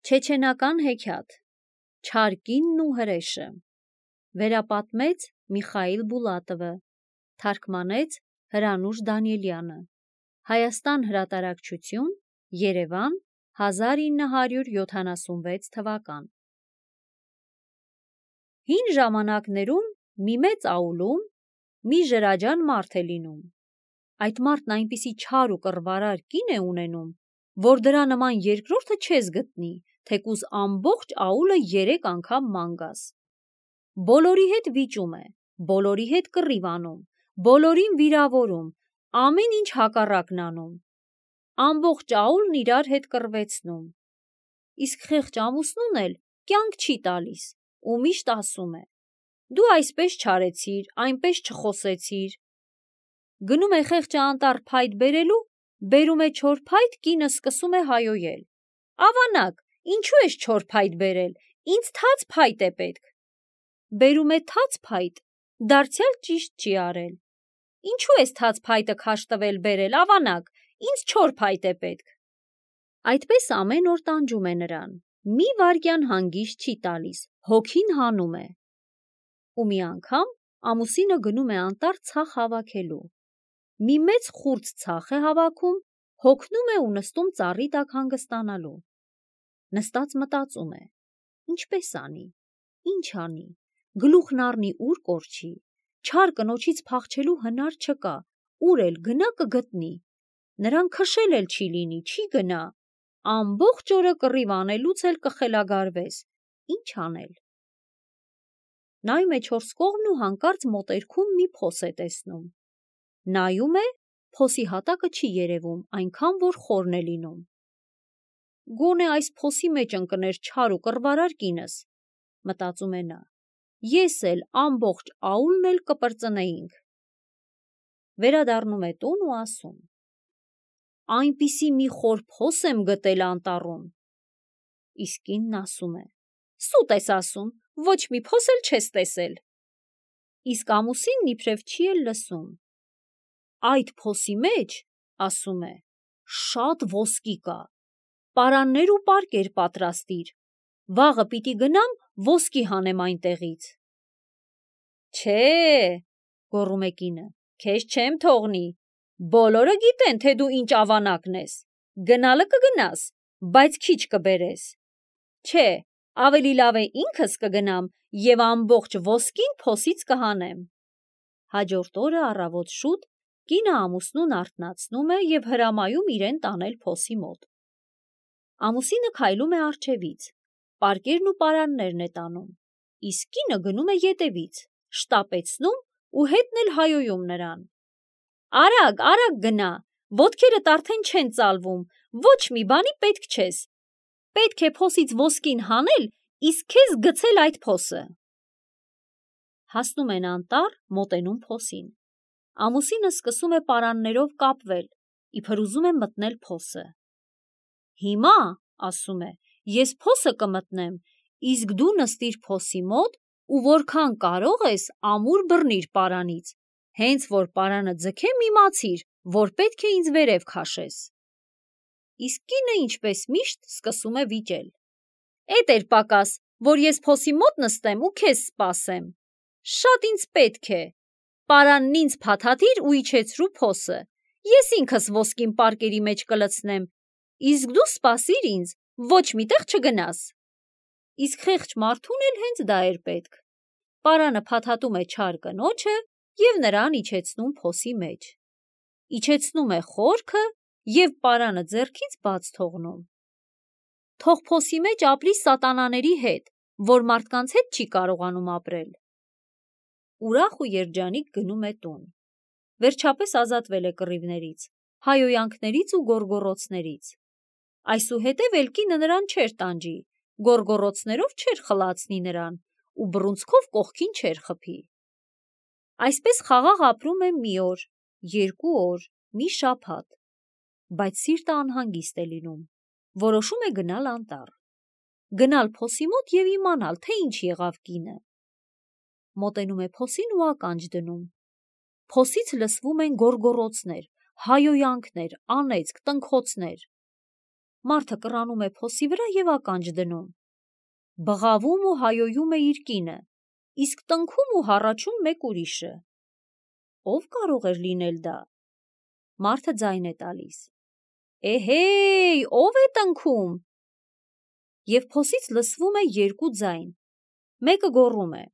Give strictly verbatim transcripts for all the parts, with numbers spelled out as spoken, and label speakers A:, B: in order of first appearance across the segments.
A: Չեչենական հեքիաթ Չար կինն ու հրեշը Վերապատմեց Միխայիլ Բուլատովը Թարգմանեց Հրանուշ Դանիելյանը Հայաստան հրատարակչություն Երևան հազար ինը հարյուր յոթանասունվեց թվական Հին ժամանակներում մի մեծ աուլում մի ժրաջան մարդ է լինում։ Այդ մարդն այնպիսի չար ու կռվարար կին է ունենում, որ դրա նման երկրորդը չես գտնի, թեկուզ ամբողջ աուլը երեք անգամ ման գաս։ Բոլորի հետ վիճում է, բոլորի հետ կռիվ անում, բոլորին վիրավորում, ամեն ինչ հակառակն անում։ Ամբողջ աուլն իրար հետ կռվեցնում։ Իսկ խեղճ ամուսնուն էլ կյանք չի տալիս ու միշտ ասում է. դու այսպես չարեցիր, այնպես չխոսեցիր։ Գնում է խեղճը անտառ փայտ բերելու, բերում է չոր փայտ, կինը սկսում է հայոյել. ավանակ, ինչու ես չոր փայտ բերել, ինձ թաց փայտ է պետք։ Բերում է թաց փայտ, դարձյալ ճիշտ չի արել։ Ինչու ես թաց փայտը քաշ տվել բերել, ավանակ, ինձ չոր փայտ է պետք։ Այդպես ամեն օր տանջում է նրան, մի վայրկյան հանգիստ չի տալիս, հոգին հանում է։ Ու մի անգամ ամուսինը գնում է անտառ ցախ հավաքելու։ Մի մեծ խուրձ ցախ է հավաքում, հոգնում է ու նստում ծառի տակ հանգստանալու։ Նստած մտածում է. ինչպես անի, ինչ անի, գլուխն առնի ուր կորչի, չար կնոջից փախչելու հնար չկա, ուր էլ գնա կգտնի, նրան քշել էլ չի լինի, չի գնա, ամբողջ օրը կռիվ անելուց էլ կխելագարվես, ինչ անել։ Նայում է չորս կողմն ու հանկարծ մոտերքում մի փոս է տեսնում։ Նայում է, փոսի հատակը չի երևում, այնքան որ խորն է լինում։ Գոնե այս փոսի մեջ ընկներ չար ու կռվարար կինս, մտածում է նա, ես էլ ամբողջ աուլն էլ կպրծնեինք։ Վերադառնում է տուն ու ասում. այնպիսի մի խոր փոս եմ գտել անտառում։ Իսկ կինն ասում է. սուտ ես ասում, ոչ մի փոս էլ չես տեսել։ Իսկ ամուսինն իբրև չի էլ լսում։ Այդ փոսի մեջ, ասում է, շատ ոսկի կա, պարաններ ու պարկեր պատրաստիր, վաղը պիտի գնամ ոսկի հանեմ այնտեղից։ Չէ, գոռում է կինը, քեզ չեմ թողնի, բոլորը գիտեն, թե դու ինչ ավանակն ես, գնալը կգնաս, բայց քիչ կբերես։ Չէ, ավելի լավ է ինքս կգնամ և ամբողջ ոսկին փոսից կհանեմ։ Հաջորդ օրը առավոտ շուտ կինը ամուսնուն արթնացնում է և հրամայում իրեն տանել փոսի մոտ։ Ամուսինը քայլում է առջևից, պարկերն ու պարաններն է տանում, իսկ կինը գնում է ետևից, շտապեցնում ու հետն էլ հայոյում նրան։ Արագ, արագ գնա, ոտքերդ արդեն չեն ծալվում, ոչ մի բանի պետք չես։ Պետք է փոսից ոսկին հանել, իսկ քեզ գցել այդ փոսը։ Հասնում են անտառ, մոտենում փոսին։ Ամուսինը սկսում է պարաններով կապվել, իբր ուզում է մտնել փոսը։ Հիմա, ասում է, ես փոսը կմտնեմ, իսկ դու նստիր փոսի մոտ ու որքան կարող ես ամուր բռնիր պարանից, հենց որ պարանը ձգեմ իմացիր, որ պետք է ինձ վերև քաշես։ Իսկ կինը ինչպես միշտ սկսում է վիճել։ Էդ էր պակաս, որ ես փոսի մոտ նստեմ ու քեզ սպասեմ։ Շատ ինձ պետք է։ Պարանն ինձ փաթաթիր ու իջեցրու փոսը, ես ինքս ոսկին պարկերի մեջ կլցնեմ, իսկ դու սպասիր ինձ, ոչ միտեղ չգնաս։ Իսկ խեղճ մարդուն էլ հենց դա էր պետք։ Պարանը փաթաթում է չար կնոջը և նրան իջեցնում փոսի մեջ։ Իջեցնում է խորքը և պարանը ձեռքից բաց թողնում։ Թող փոսի մեջ ապրի սատանաների հետ, որ մարդկանց հետ չի կարողանում ապրել։ Ուրախ ու երջանիկ գնում է տուն։ Վերջապես ազատվել է կռիվներից, հայոյանքներից ու գոռգոռոցներից։ Այսուհետև էլ կինը նրան չէր տանջի, գոռգոռոցներով չէր խլացնի նրան ու բռունցքով կողքին չէր խփի։ Այսպես խաղաղ ապրում է մի օր, երկու օր, մի շաբաթ, բայց սիրտը անհանգիստ է լինում, որոշում է գնալ անտառ, գնալ փոսի մոտ և իմանալ, թե ինչ եղավ կինը։ Մոտենում է փոսին ու ականջ դնում։ Փոսից լսվում են գոռգոռոցներ, հայոյանքներ, անեծք, տնքոցներ։ Մարդը կռանում է փոսի վրա և ականջ դնում։ Բղավում ու հայոյում է իր կինը, իսկ տնքում ու հառաչում մեկ ուրիշը։ Ո՞վ կարող էր լինել դա։ Մարդը ձայն է տալիս. «Էհեյ, ո՞վ է տնքում»։ Եվ փոսից լսվում է երկու ձայն։ Մեկը գոռում է.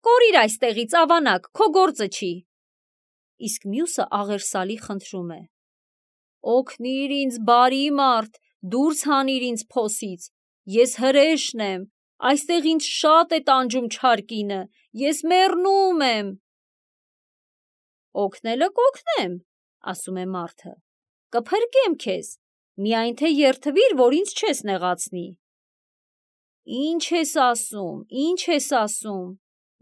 A: «Կորիր այստեղից, ավանակ, քո գործը չի»։ Իսկ մյուսը աղերսալի խնդրում է. «Օգնիր ինձ, բարի մարդ, դուրս հանիր ինձ փոսից, ես հրեշն եմ, այստեղ ինձ շատ է տանջում չար կինը, ես մեռնում եմ»։ «Օգնելը կօգնեմ», ասում է մարդը, «կփրկեմ քեզ, միայն թե երդվիր, որ ինձ չես նեղացնի»։ «Ինչ ես ասում, ինչ ես ասում,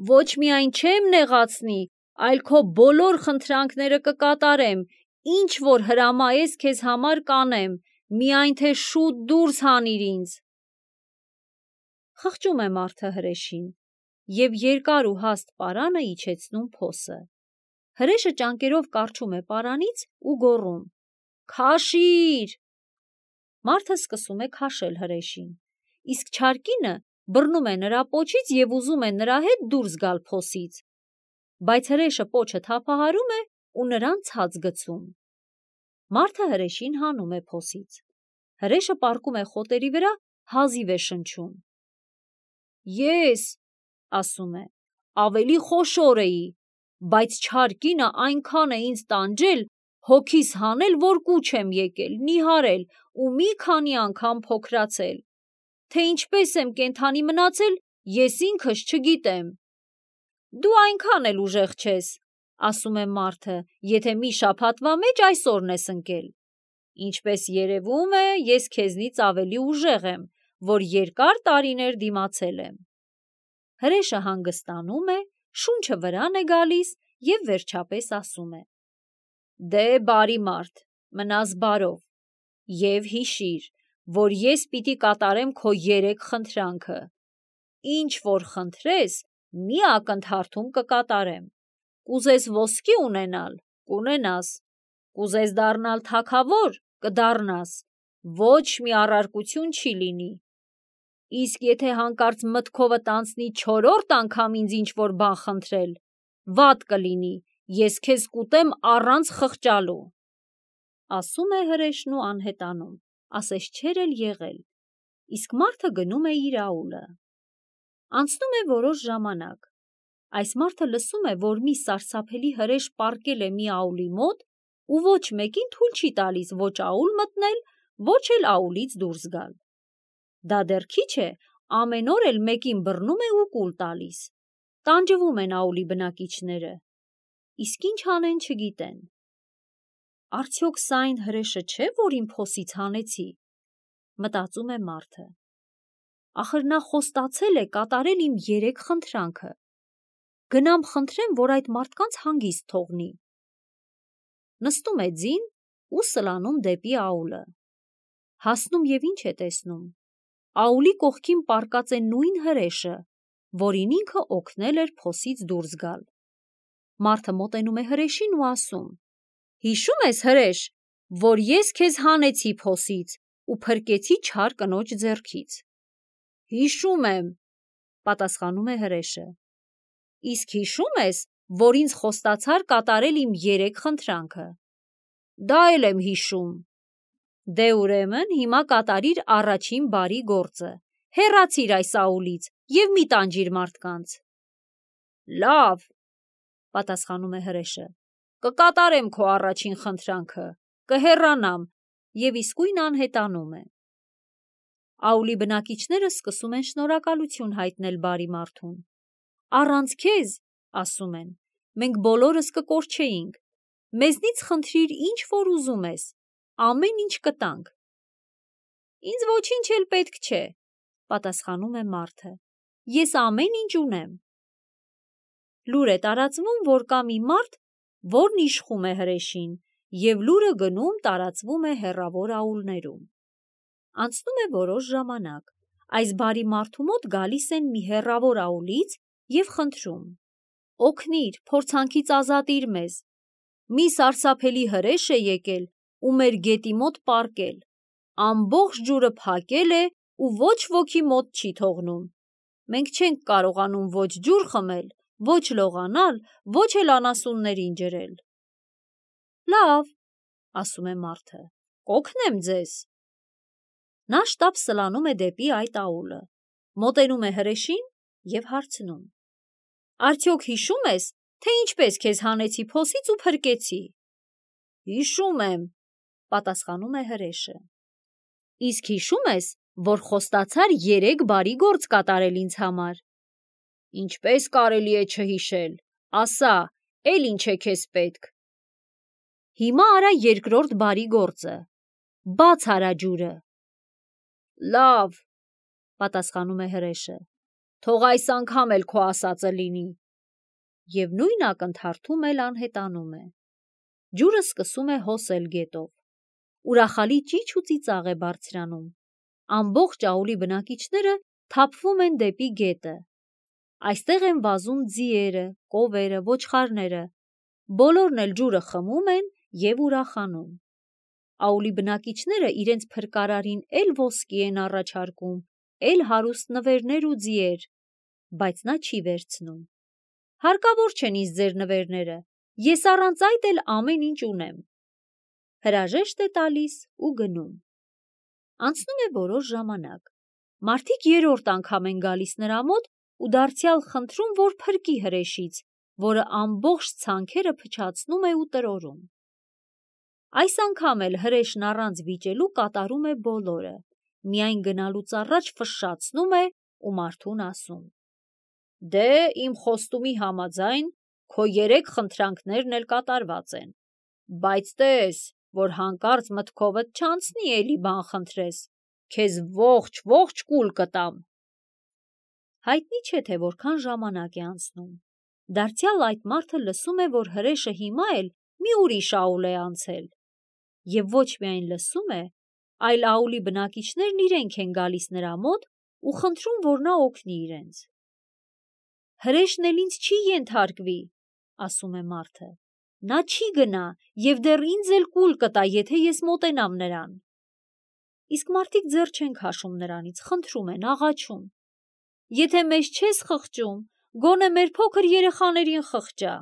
A: ոչ միայն չեմ նեղացնի, այլ քո բոլոր խնդրանքները կկատարեմ, ինչ որ հրամայես քեզ համար կանեմ, միայն թե շուտ դուրս հանիր ինձ»։ Խղճում է մարդը հրեշին և երկար ու հաստ պարանը իջեցնում փոսը։ Հրեշը ճանկերով կառչում է պարանից ու գոռում. «Քաշի՛ր»։ Մարդը սկսում է քաշել հրեշին, իսկ չար կինը բռնում է նրա պոչից և ուզում է նրա հետ դուրս գալ փոսից, բայց հրեշը պոչը թափահարում է ու նրան ցած գցում։ Մարդը հրեշին հանում է փոսից։ Հրեշը պառկում է խոտերի վրա, հազիվ է շնչում։ «Ես, — ասում է, — ավելի խոշոր էի, բայց չար կինը այնքան է ինձ տանջել, հոգիս հանել, որ կուչ եմ եկել, նիհարել ու մի քանի անգամ փոքրացել։ Թե ինչպես եմ կենդանի մնացել, ես ինքս չգիտեմ»։ «Դու այնքան էլ ուժեղ չես, — ասում է մարդը, — եթե մի շաբաթվա մեջ այսօրն ես ընկել։ Ինչպես երևում է, ես քեզնից ավելի ուժեղ եմ, որ երկար տարիներ դիմացել եմ»։ Հրեշը հանգստանում է, շունչը վրան է գալիս և վերջապես ասում է. «Դե, բարի մարդ, մնաս բարով և հիշիր, որ ես պիտի կատարեմ քո երեք խնդրանքը։ Ինչ որ խնդրես, մի ակնթարթում կկատարեմ։ Կուզես ոսկի ունենալ, կունենաս, կուզես դառնալ թագավոր, կդառնաս, ոչ մի առարկություն չի լինի։ Իսկ եթե հանկարծ մտքովդ անցնի չորրորդ անգամ ինձ ինչ-որ բան խնդրել, վատ կլինի, ես քեզ կուտեմ առանց խղճալու»։ Ասում է հրեշն ու անհետանում, ասես չէր էլ եղել, իսկ մարդը գնում է իր աուլը։ Անցնում է որոշ ժամանակ։ Այս մարդը լսում է, որ մի սարսափելի հրեշ պառկել է մի աուլի մոտ ու ոչ մեկին թույլ չի տալիս ոչ աուլ մտնել, ոչ էլ աուլից դուրս գալ։ Դա դեռ քիչ է, ամեն օր էլ մեկին բռնում է ու կուլ տալիս։ Տանջվում են աուլի բնակիչները, իսկ ինչ անեն չգիտեն։ «Արդյոք սա այն հրեշը չէ, որին փոսից հանեցի», մտածում է մարդը։ Ախր նա խոստացել է կատարել իմ երեք խնդրանքը։ Գնամ խնդրեմ, որ այդ մարդկանց հանգիստ թողնի։ Նստում է ձին ու սլանում դեպի աուլը։ Հասնում և ինչ է տեսնում։ Աուլի կողքին պառկած է նույն հրեշը, որին ինքը օգնել էր փոսից դուրս գալ։ Մարդը մոտենում է հրեշին ու ասում. «Հիշո՞ւմ ես, հրեշ, որ ես քեզ հանեցի փոսից ու փրկեցի չար կնոջ ձեռքից»։ «Հիշում եմ», — պատասխանում է հրեշը։ «Իսկ հիշո՞ւմ ես, որ ինձ խոստացար կատարել իմ երեք խնդրանքը»։ «Դա էլ եմ հիշում»։ «Դե ուրեմն հիմա կատարիր առաջին բարի գործը, հեռացիր այս աուլից և մի տանջիր մարդկանց»։ «Լավ», — պատասխանում է հրեշը, «կկատարեմ քո առաջին խնդրանքը, կհեռանամ» և իսկույն անհետանում է։ Աուլի բնակիչները սկսում են շնորհակալություն հայտնել բարի մարդուն։ «Առանց քեզ, — ասում են, — մենք բոլորս կկորչեինք, մեզնից խնդրիր ինչ որ ուզում ես, ամեն ինչ կտանք»։ «Ինձ ոչինչ էլ պետք չէ», — պատասխանում է մարդը, «ես ամեն ինչ ունեմ»։ Լուր է տարածվում, որ կա մի մարդ, որն իշխում է հրեշին, և լուրը գնում տարածվում է հեռավոր աուլներում։ Անցնում է որոշ ժամանակ, այս բարի մարդու մոտ գալիս են մի հեռավոր աուլից և խնդրում. «Օգնիր, փորձանքից ազատիր մեզ, մի սարսափելի հրեշ է եկել ու մեր գետի մոտ պառկել, ամբողջ ջուրը փակել է ու ոչ ոքի մոտ չի թողնում։ Մենք չենք կարողանում ոչ ջուր խմել, ոչ լողանալ, ոչ էլ անասուններին ջրել։ Լավ, ասում է մարդը, կօգնեմ ձեզ։ Նա շտապ սլանում է դեպի այդ աուլը, մոտենում է հրեշին և հարցնում. Արդյոք հիշում ես, թե ինչպես քեզ հանեցի փոսից ու փրկեցի։ Հիշում եմ, պատասխանում է հրեշը։ Իսկ հիշում ես, որ խոստացար երեք բարի գործ կատարել ինձ համար։ Ինչպես կարելի է չհիշել, ասա, էլ ինչ է քեզ պետք։ Հիմա արա երկրորդ բարի գործը, բաց արա ջուրը։ Լավ, պատասխանում է հրեշը, թող այս անգամ էլ քո ասածը լինի։ Եվ նույն ակնթարթում էլ անհետանում է։ Ջուրը սկսում է հոսել գետով։ Ուրախալի ճիչ ու ծիծաղ է բարձրանում։ Ամբողջ աուլի բնակիչները թափվում են դեպի գետը։ Այստեղ են վազում ձիերը, կովերը, ոչխարները։ Բոլորն էլ ջուրը խմում են և ուրախանում։ Աուլի բնակիչները իրենց փրկարարին էլ ոսկի են առաջարկում, էլ հարուստ նվերներ ու ձիեր, բայց նա չի վերցնում։ Հարկավոր չեն ինձ ձեր նվերները, ես առանց այդ էլ ամեն ինչ ունեմ։ Հրաժեշտ է տալիս ու գնում։ Անցնում է որոշ ժամանակ։ Մարդիկ երրորդ անգամ են գալիս նրա մոտ ու դարձյալ խնդրում, որ փրկի հրեշից, որը ամբողջ ցանքերը փչացնում է ու տրորում։ Այս անգամ էլ հրեշն առանց վիճելու կատարում է բոլորը, միայն գնալուց առաջ ֆշշացնում է ու մարդուն ասում. Դե իմ խոստումի համաձայն քո երեք խնդրանքներն էլ կատարված են, բայց տես, որ հանկարծ մտքովդ չանցնի էլի բան խնդրես, քեզ ողջ-ողջ կուլ կտամ։ Հայտնի չէ, թե որքան ժամանակ է անցնում։ Դարձյալ այդ մարդը լսում է, որ հրեշը հիմա էլ մի ուրիշ աուլ է անցել։ Եվ ոչ միայն լսում է, այլ աուլի բնակիչներն իրենք են գալիս նրա մոտ ու խնդրում, որ նա օգնի իրենց։ Հրեշն էլ ինձ չի ենթարկվի, ասում է մարդը։ Նա չի գնա և դեռ ինձ էլ կուլ կտա, եթե ես մոտենամ նրան։ Իսկ մարդիկ ձեռ չեն քաշում նրանից, խնդրում են, աղաչում. Եթե մեզ չես խղճում, գոնե մեր փոքր երեխաներին խղճա։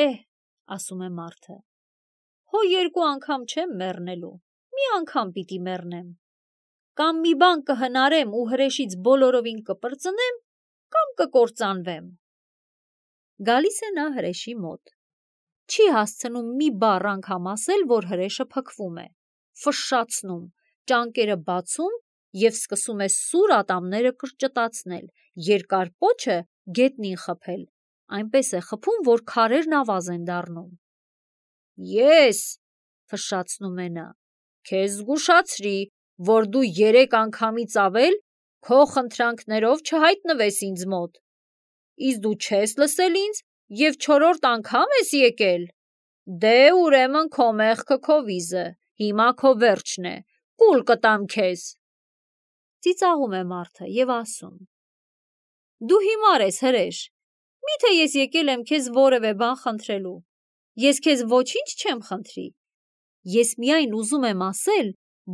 A: Էհ, ասում է մարդը, հո երկու անգամ չեմ մեռնելու, մի անգամ պիտի մեռնեմ։ Կամ մի բան կհնարեմ ու հրեշից բոլորովին կպրծնեմ, կամ կկործանվեմ։ Գալիս է նա հրեշի մոտ։ Չի հասցնում մի բառ անգամ ասել, որ հրեշը փքվում է, ֆշշացնում, ճանկերը բացում և սկսում է սուր ատամները կրճտացնել, երկար պոչը գետնին խփել, այնպես է խփում, որ քարերն ավազ են դառնում։ Ես, ֆշշացնում է նա, քեզ զգուշացրի, որ դու երեք անգամից ավել քո խնդրանքներով չհայտնվես ինձ մոտ։ Իսկ դու չես լսել ինձ և չորրորդ անգամ ես եկել։ Դե ուրեմն քո մեղքը քո վիզը, հիմա քո վերջն է, կուլ կտամ քեզ։ Ծիծաղում է մարդը և ասում. Դու հիմար ես հրեշ, միթե ես եկել եմ քեզ որևէ բան խնդրելու, ես քեզ ոչինչ չեմ խնդրի, ես միայն ուզում եմ ասել,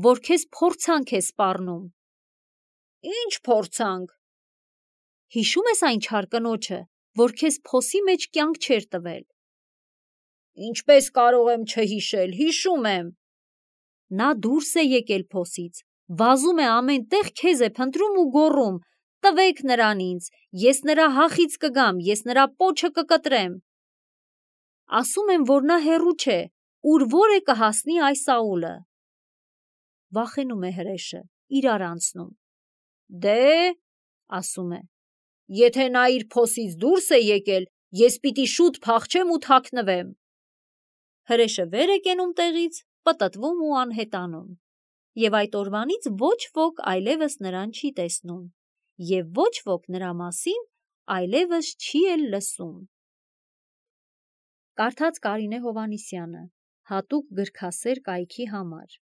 A: որ քեզ փորձանք է սպառնում։ Ինչ փորձանք։ Հիշում ես այն չար կնոջը, որ քեզ փոսի մեջ կյանք չէր տվել։ Ինչպես կարող եմ չհիշել, հիշում եմ։ Նա դուրս է եկել փոսից, վազում է ամեն տեղ քեզ է փնտրում ու գոռում. տվեք նրան ինձ, ես նրա հախից կգամ, ես նրա պոչը կկտրեմ։ Ասում եմ, որ նա հեռու չէ, ուր որ է կհասնի այս աուլը։ Վախենում է հրեշը, իրար անցնում։ Դե, ասում է, եթե նա իր փոսից դուրս է եկել, ես պիտի շուտ փախչեմ ու թաքնվեմ։ Հրեշը վեր է կենում տեղից, պտտվում ու անհետանում։ Եվ այդ օրվանից ոչ ոք այլևս նրան չի տեսնում, և ոչ ոք նրա մասին այլևս չի էլ լսում։ Կարդաց Կարինե Հովհաննիսյանը, հատուկ գրքասեր կայքի համար։